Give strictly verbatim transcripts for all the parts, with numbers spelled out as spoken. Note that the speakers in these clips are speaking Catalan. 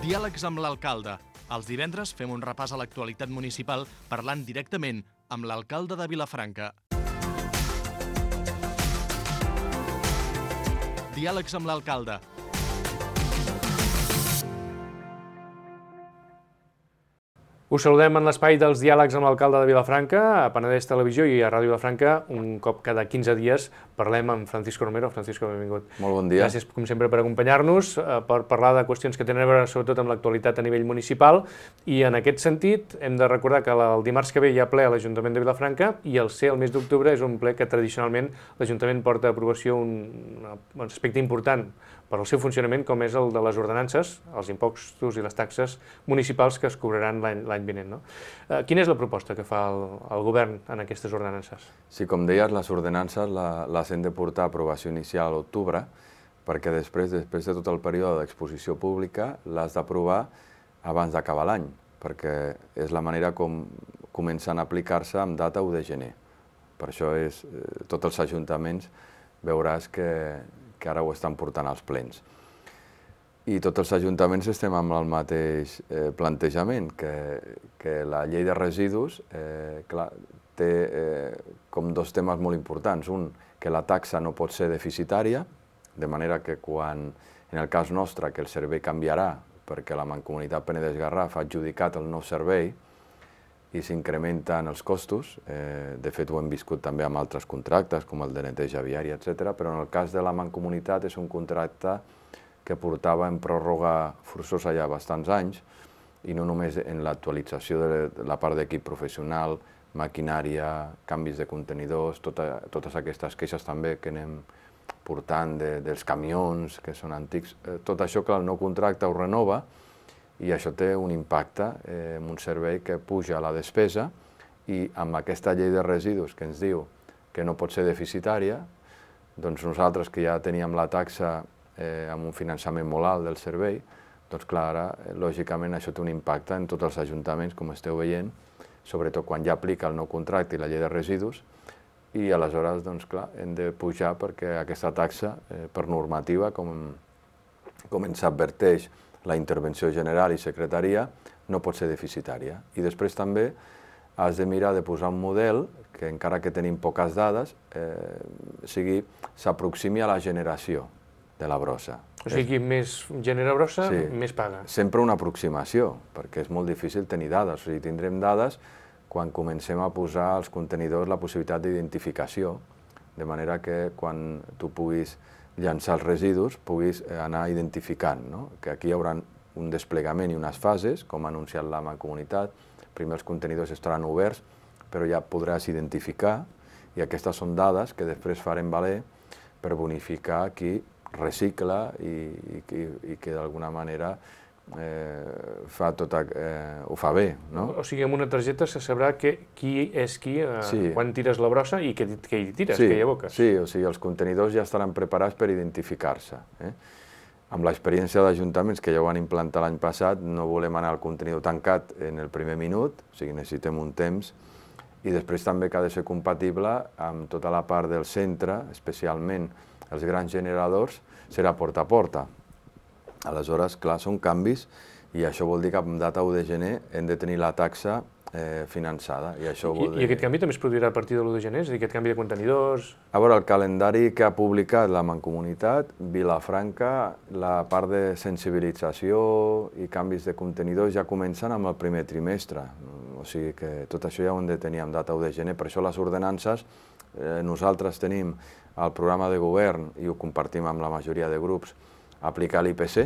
Diàlegs amb l'alcalde. Els divendres fem un repàs a l'actualitat municipal parlant directament amb l'alcalde de Vilafranca. Diàlegs amb l'alcalde. Us saludem en l'espai dels diàlegs amb l'alcalde de Vilafranca, a Penedès Televisió i a Ràdio Vilafranca. Un cop cada quinze dies parlem amb Francisco Romero. Francisco, benvingut. Molt bon dia. Gràcies, com sempre, per acompanyar-nos, per parlar de qüestions que tenen a veure sobretot amb l'actualitat a nivell municipal. I en aquest sentit, hem de recordar que el dimarts que ve hi ha ple a l'Ajuntament de Vilafranca i el ser el mes d'octubre és un ple que tradicionalment l'Ajuntament porta a aprovació un, un aspecte important per al seu funcionament, com és el de les ordenances, els impostos i les taxes municipals que es cobraran l'any vinent. No? Eh, quina és la proposta que fa el, el govern en aquestes ordenances? Sí, com deies, les ordenances la, les hem de portar a aprovació inicial a l'octubre, perquè després, després de tot el període d'exposició pública les d'aprovar abans d'acabar l'any, perquè és la manera com comencen a aplicar-se amb data u de gener. Per això és, eh, tots els ajuntaments veuràs que que ara ho estan portant als plens. I tots els ajuntaments estem amb el mateix eh, plantejament, que, que la llei de residus eh, clar, té eh, com dos temes molt importants. Un, que la taxa no pot ser deficitària, de manera que quan, en el cas nostre, que el servei canviarà, perquè la Mancomunitat Penedès-Garraf ha adjudicat el nou servei, i s'incrementen els costos. Eh, de fet, ho hem viscut també amb altres contractes, com el de neteja viària, etcètera, però en el cas de la Mancomunitat és un contracte que portava en pròrroga forçosa ja bastants anys, i no només en l'actualització de la part d'equip professional, maquinària, canvis de contenidors, tota, totes aquestes queixes també que anem portant de, dels camions, que són antics. Eh, tot això, clar, el nou contracte ho renova, i això té un impacte eh, en un servei que puja la despesa, i amb aquesta llei de residus que ens diu que no pot ser deficitària, doncs nosaltres que ja teníem la taxa eh, amb un finançament molt alt del servei, doncs clar, ara, eh, lògicament, això té un impacte en tots els ajuntaments, com esteu veient, sobretot quan ja aplica el nou contracte i la llei de residus, i aleshores, doncs clar, hem de pujar perquè aquesta taxa, eh, per normativa, com, com ens adverteix la intervenció general i secretaria, no pot ser deficitària. I després també has de mirar de posar un model que, encara que tenim poques dades, eh, sigui, s'aproximi a la generació de la brossa. O sigui, més genera brossa, sí, més paga. Sempre una aproximació, perquè és molt difícil tenir dades. O sigui, tindrem dades quan comencem a posar als contenidors la possibilitat d'identificació, de manera que quan tu puguis llançar els residus, puguis anar identificant, no? Que aquí hi haurà un desplegament i unes fases, com ha anunciat la Mancomunitat. Primer els contenidors estaran oberts, però ja podràs identificar, i aquestes són dades que després farem valer per bonificar qui recicla i, i, i que d'alguna manera eh, fa tot, eh, ho fa bé. No? O sigui, amb una targeta se sabrà que, qui és qui, eh, sí, quan tires la brossa i què, què hi tires, sí, què hi aboques. Sí, o sigui, els contenidors ja estaran preparats per identificar-se. Eh? Amb l'experiència d'ajuntaments que ja ho van implantar l'any passat, no volem anar al contenidor tancat en el primer minut, o sigui, necessitem un temps, i després també que ha de ser compatible amb tota la part del centre, especialment els grans generadors, serà porta a porta. Aleshores, clar, són canvis, i això vol dir que amb data u de gener hem de tenir la taxa eh, finançada. I, això vol I, dir... I aquest canvi també es produirà a partir de l'u de gener? És a dir, aquest canvi de contenidors... A veure, el calendari que ha publicat la Mancomunitat, Vilafranca, la part de sensibilització i canvis de contenidors ja comencen amb el primer trimestre. O sigui que tot això ja ho hem de tenir amb data u de gener. Per això les ordenances, eh, nosaltres tenim el programa de govern, i ho compartim amb la majoria de grups, aplicar l'I P C.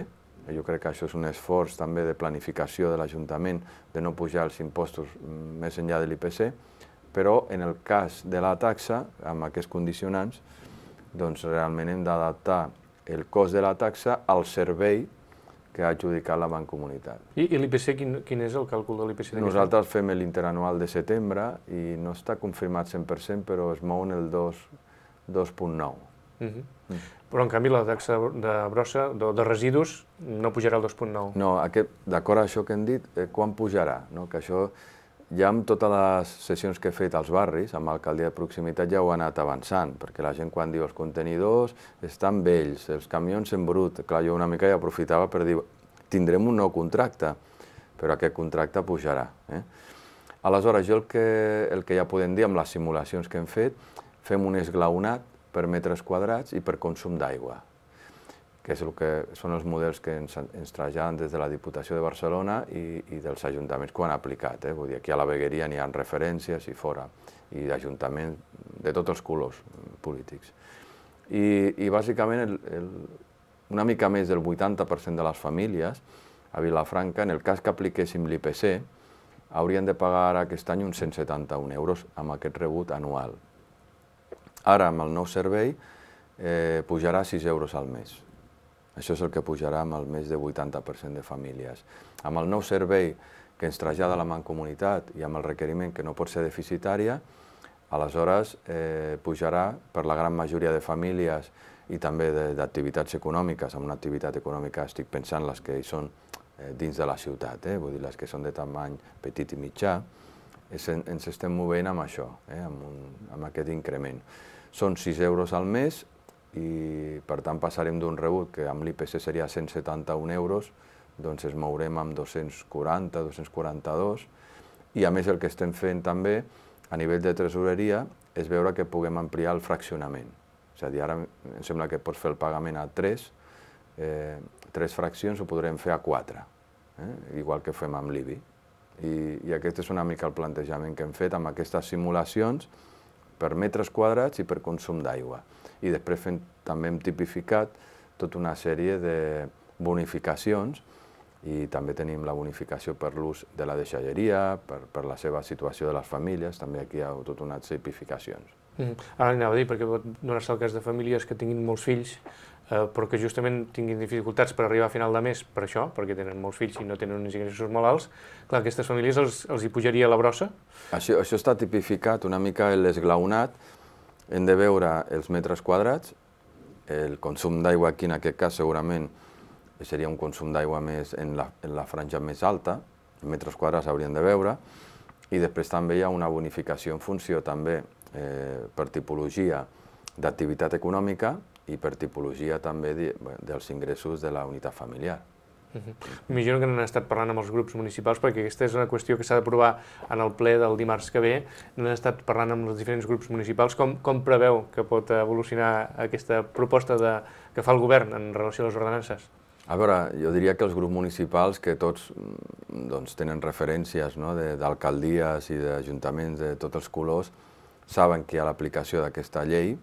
Jo crec que això és un esforç també de planificació de l'Ajuntament, de no pujar els impostos més enllà de l'I P C, però en el cas de la taxa, amb aquests condicionants, doncs realment hem d'adaptar el cost de la taxa al servei que ha adjudicat la Mancomunitat. I, i l'I P C, quin, quin és el càlcul de l'I P C? Nosaltres fem l'interanual de setembre i no està confirmat cent per cent, però es mou en el dos coma nou. Uh -huh. mm. Però, en canvi, la taxa de brossa, de, de residus, no pujarà al dos coma nou. No, d'acord a això que hem dit, eh, quan pujarà? No? Que això, ja amb totes les sessions que he fet als barris, amb l'alcaldia de proximitat, ja ho ha anat avançant, perquè la gent quan diu els contenidors estan vells, els camions en brut, clar, jo una mica ja aprofitava per dir, tindrem un nou contracte, però aquest contracte pujarà. Eh? Aleshores, jo el que, el que ja podem dir amb les simulacions que hem fet, fem un esglaonat per metres quadrats i per consum d'aigua, que, és el que són els models que ens, ens traslladen des de la Diputació de Barcelona i, i dels ajuntaments que ho han aplicat. Eh? Vull dir, aquí a la Vegueria n'hi ha referències i fora, i d'ajuntaments de tots els colors polítics. I, i bàsicament el, el, una mica més del vuitanta per cent de les famílies a Vilafranca, en el cas que apliquéssim l'I P C, haurien de pagar aquest any uns cent setanta-un euros amb aquest rebut anual. Ara, amb el nou servei, eh, pujarà sis euros al mes. Això és el que pujarà amb el més de vuitanta per cent de famílies. Amb el nou servei que ens trasllada la Mancomunitat i amb el requeriment que no pot ser deficitària, aleshores eh, pujarà per la gran majoria de famílies i també d'activitats econòmiques. Amb una activitat econòmica estic pensant les que hi són eh, dins de la ciutat, eh, vull dir les que són de tamany petit i mitjà, es, ens estem movent amb això, eh, amb, un, amb aquest increment. Són sis euros al mes, i per tant passarem d'un rebut que amb l'I P C seria cent setanta-un euros, doncs es mourem amb dos-cents quaranta, dos-cents quaranta-dos, i a més el que estem fent també a nivell de tresoreria és veure que puguem ampliar el fraccionament. És a dir, ara em sembla que pots fer el pagament a tres, eh, tres fraccions ho podrem fer a quatre, eh? Igual que fem amb l'I B I. I, I aquest és una mica el plantejament que hem fet amb aquestes simulacions per metres quadrats i per consum d'aigua. I després fem, també hem tipificat tota una sèrie de bonificacions i també tenim la bonificació per l'ús de la deixalleria, per, per la seva situació de les famílies, també aquí hi ha tota una tipificacions. Mm. Ara anava a dir, perquè pot donar-se el cas de famílies que tinguin molts fills, eh, però que justament tinguin dificultats per arribar a final de mes per això, perquè tenen molts fills i no tenen uns ingressos molt alts, clar, aquestes famílies els, els hi pujaria la brossa? Això, això està tipificat una mica en l'esglaonat. Hem de veure els metres quadrats, el consum d'aigua aquí en aquest cas segurament seria un consum d'aigua més en la, en la franja més alta, els metres quadrats haurien de veure, i després també hi ha una bonificació en funció també eh, per tipologia d'activitat econòmica i per tipologia també de, dels ingressos de la unitat familiar. M'imagino que n'han estat parlant amb els grups municipals, perquè aquesta és una qüestió que s'ha d'aprovar en el ple del dimarts que ve. N'han estat parlant amb els diferents grups municipals. Com, com preveu que pot evolucionar aquesta proposta de, que fa el govern en relació a les ordenances? A veure, jo diria que els grups municipals, que tots doncs, tenen referències no, d'alcaldies i d'ajuntaments de tots els colors, saben que hi ha l'aplicació d'aquesta llei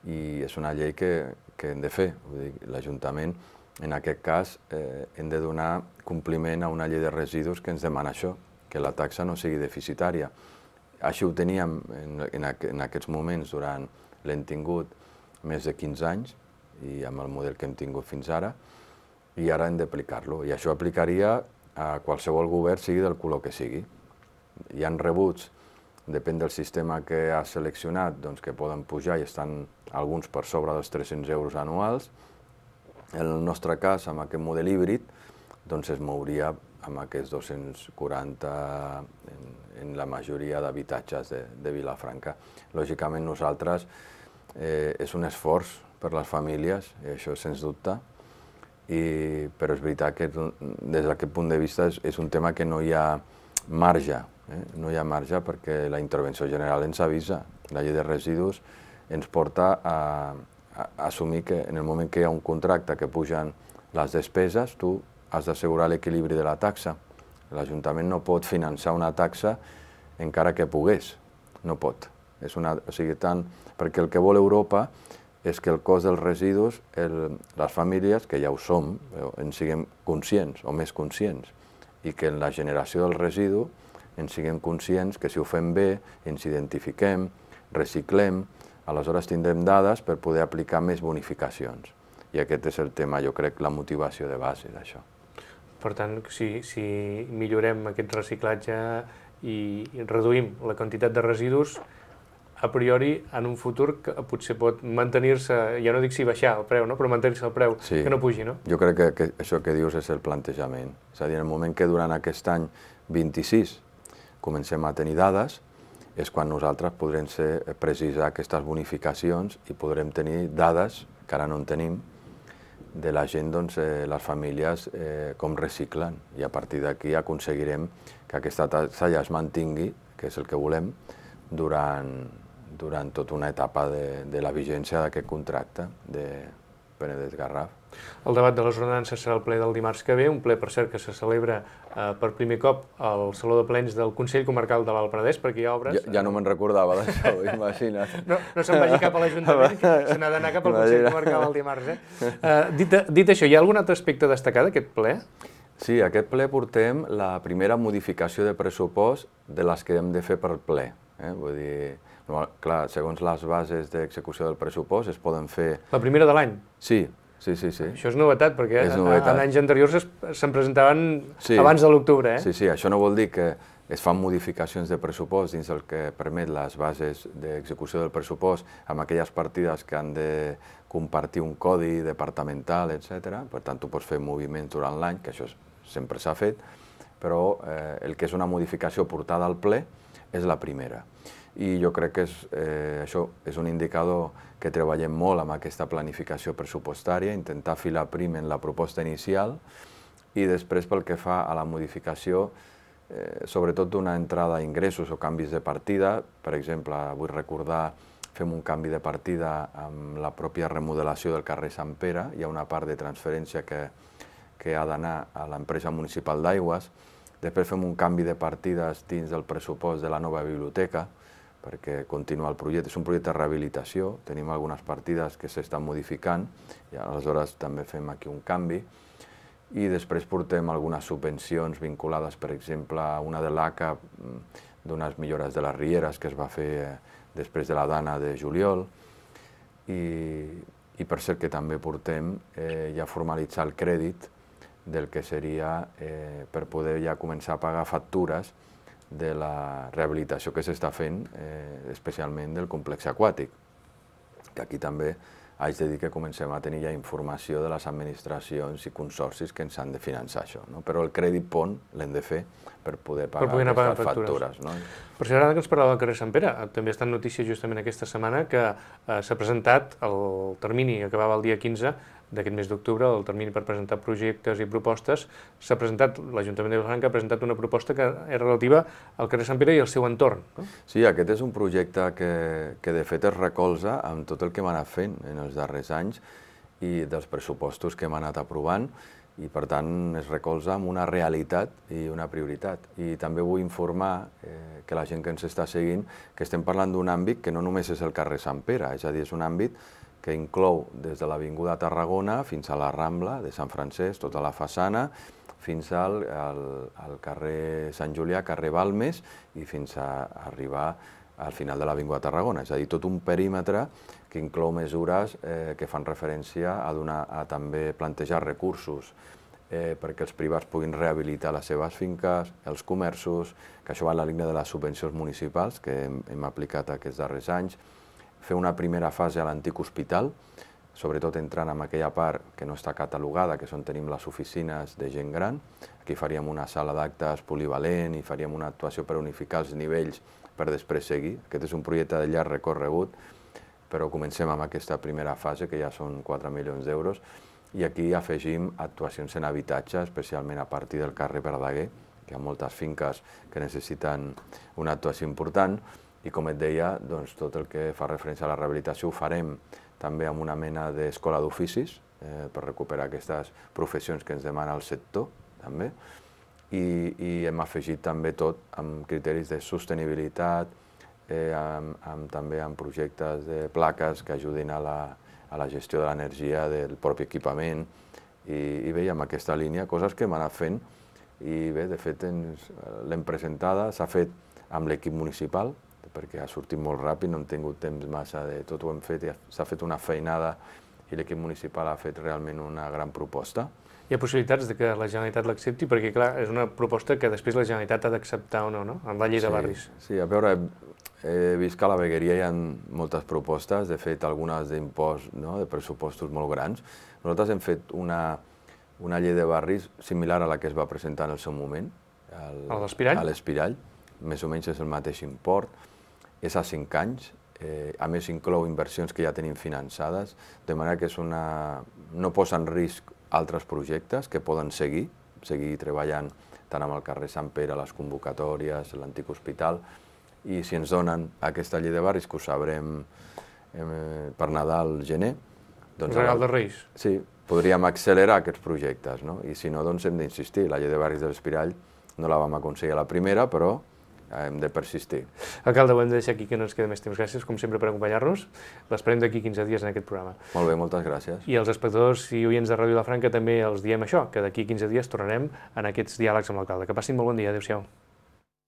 i és una llei que, que hem de fer. Vull dir, l'Ajuntament, en aquest cas, eh, hem de donar compliment a una llei de residus que ens demana això, que la taxa no sigui deficitària. Així ho teníem en, en, en aquests moments, durant l'hem tingut més de quinze anys, i amb el model que hem tingut fins ara, i ara hem d'aplicar-lo. I això aplicaria a qualsevol govern, sigui del color que sigui. Hi ha rebuts, depèn del sistema que has seleccionat, doncs, que poden pujar i estan alguns per sobre dels tres-cents euros anuals. En el nostre cas, amb aquest model híbrid, doncs es mouria amb aquests dos-cents quaranta en, en la majoria d'habitatges de, de Vilafranca. Lògicament, nosaltres eh, és un esforç per les famílies, i això sens dubte, i, però és veritat que des d'aquest punt de vista és, és un tema que no hi ha marge, eh? no hi ha marge perquè la intervenció general ens avisa. La llei de residus ens porta a assumir que en el moment que hi ha un contracte que pugen les despeses, tu has d'assegurar l'equilibri de la taxa. L'Ajuntament no pot finançar una taxa encara que pogués, no pot. És una, o sigui, tant, perquè el que vol Europa és que el cost dels residus, el, les famílies, que ja ho som, en siguem conscients o més conscients, i que en la generació del residu en siguem conscients que si ho fem bé, ens identifiquem, reciclem, aleshores tindrem dades per poder aplicar més bonificacions. I aquest és el tema, jo crec, la motivació de base d'això. Per tant, si, si millorem aquest reciclatge i reduïm la quantitat de residus, a priori, en un futur que potser pot mantenir-se, ja no dic si baixar el preu, no? Però mantenir-se el preu, sí, que no pugi, no? Jo crec que, que això que dius és el plantejament. És a dir, en el moment que durant aquest any vint-i-sis comencem a tenir dades, és quan nosaltres podrem ser, precisar aquestes bonificacions i podrem tenir dades, que ara no en tenim, de la gent, doncs, eh, les famílies, eh, com reciclen. I a partir d'aquí aconseguirem que aquesta taxa ja es mantingui, que és el que volem, durant, durant tota una etapa de, de la vigència d'aquest contracte de Penedès Garraf. El debat de les ordenances serà el ple del dimarts que ve, un ple, per cert, que se celebra eh, per primer cop al Saló de Plens del Consell Comarcal de l'Alt Penedès, perquè hi ha obres... Ja, ja no me'n recordava d'això, imagina't. No, no se'n vagi cap a l'Ajuntament, se n'ha d'anar cap al Consell Comarcal el dimarts. Eh? Uh, dit, dit això, hi ha algun altre aspecte a destacar d'aquest ple? Sí, aquest ple portem la primera modificació de pressupost de les que hem de fer per ple. Eh? Vull dir, no, clar, segons les bases d'execució del pressupost es poden fer... La primera de l'any? Sí, sí, sí, sí. Això és novetat, perquè és novetat. en anys anteriors se'n presentaven sí. abans de l'octubre, eh? Sí, sí, això no vol dir que es fan modificacions de pressupost dins el que permet les bases d'execució del pressupost amb aquelles partides que han de compartir un codi departamental, etcètera. Per tant, tu pots fer moviments durant l'any, que això sempre s'ha fet, però eh, el que és una modificació portada al ple és la primera. I jo crec que és, eh, això és un indicador que treballem molt amb aquesta planificació pressupostària, intentar filar prim en la proposta inicial i després pel que fa a la modificació, eh, sobretot d'una entrada a ingressos o canvis de partida. Per exemple, vull recordar, fem un canvi de partida amb la pròpia remodelació del carrer Sant Pere, hi ha una part de transferència que, que ha d'anar a l'empresa municipal d'aigües, després fem un canvi de partides dins del pressupost de la nova biblioteca, perquè continua el projecte, és un projecte de rehabilitació, tenim algunes partides que s'estan modificant, i aleshores també fem aquí un canvi, i després portem algunes subvencions vinculades, per exemple, a una de l'A C A, d'unes millores de les rieres que es va fer després de la Dana de juliol, i, i per cert que també portem eh, ja formalitzar el crèdit del que seria eh, per poder ja començar a pagar factures de la rehabilitació que s'està fent, eh, especialment del complex aquàtic, que aquí també haig de dir que comencem a tenir ja informació de les administracions i consorcis que ens han de finançar això, no? Però el crèdit pont l'hem de fer per poder pagar per poder aquestes factures. factures. No? Per si ara que ens parlava del carrer Sant Pere, també està en notícia justament aquesta setmana que eh, s'ha presentat el termini, acabava el dia quinze d'aquest mes d'octubre, el termini per presentar projectes i propostes, s'ha presentat, l'Ajuntament de Vilafranca ha presentat una proposta que és relativa al carrer Sant Pere i al seu entorn. No? Sí, aquest és un projecte que, que de fet es recolza amb tot el que hem anat fent en els darrers anys i dels pressupostos que hem anat aprovant, i per tant es recolza amb una realitat i una prioritat. I també vull informar eh, que la gent que ens està seguint que estem parlant d'un àmbit que no només és el carrer Sant Pere, és a dir, és un àmbit que inclou des de l'Avinguda Tarragona fins a la Rambla de Sant Francesc, tota la façana, fins al, al, al carrer Sant Julià, carrer Balmes, i fins a arribar al final de l'Avinguda Tarragona. És a dir, tot un perímetre que inclou mesures eh, que fan referència a, donar, a també plantejar recursos eh, perquè els privats puguin rehabilitar les seves finques, els comerços, que això va en la línia de les subvencions municipals que hem, hem aplicat aquests darrers anys, fer una primera fase a l'antic hospital, sobretot entrant en aquella part que no està catalogada, que és on tenim les oficines de gent gran. Aquí faríem una sala d'actes polivalent i faríem una actuació per unificar els nivells per després seguir. Aquest és un projecte de llarg recorregut, però comencem amb aquesta primera fase, que ja són quatre milions d'euros, i aquí afegim actuacions en habitatge, especialment a partir del carrer Verdaguer, que hi ha moltes finques que necessiten una actuació important, i com et deia, doncs, tot el que fa referència a la rehabilitació ho farem també amb una mena d'escola d'oficis eh, per recuperar aquestes professions que ens demana el sector, també, i, i hem afegit també tot amb criteris de sostenibilitat, eh, amb, amb, també amb projectes de plaques que ajudin a la, a la gestió de l'energia del propi equipament, i, i bé, amb aquesta línia, coses que hem anat fent, i bé, de fet l'hem presentada, s'ha fet amb l'equip municipal, perquè ha sortit molt ràpid, no hem tingut temps massa de tot ho hem fet, s'ha fet una feinada i l'equip municipal ha fet realment una gran proposta. Hi ha possibilitats de que la Generalitat l'accepti? Perquè, clar, és una proposta que després la Generalitat ha d'acceptar o no, no? En la llei de barris. Sí, a veure, he vist que a la vegueria hi ha moltes propostes, de fet, algunes d'impost, no?, de pressupostos molt grans. Nosaltres hem fet una, una llei de barris similar a la que es va presentar en el seu moment, a l'Espirall, a l'Espirall, més o menys és el mateix import, és a cinc anys, eh, a més inclou inversions que ja tenim finançades, de manera que és una... no posa en risc altres projectes que poden seguir, seguir treballant tant amb el carrer Sant Pere, les convocatòries, l'antic hospital, i si ens donen aquesta llei de barris, que ho sabrem eh, per Nadal, gener... Doncs regal de Reis. Sí, podríem accelerar aquests projectes, no? I si no, doncs hem d'insistir. La llei de barris de l'Espirall no la vam aconseguir a la primera, però hem de persistir. Alcalde, ho hem de deixar aquí, que no ens queda més temps. Gràcies, com sempre, per acompanyar-nos. L'esperem d'aquí quinze dies en aquest programa. Molt bé, moltes gràcies. I els espectadors i oients de Ràdio Vilafranca també els diem això, que d'aquí quinze dies tornarem en aquests diàlegs amb l'alcalde. Que passin molt bon dia. Adéu-siau.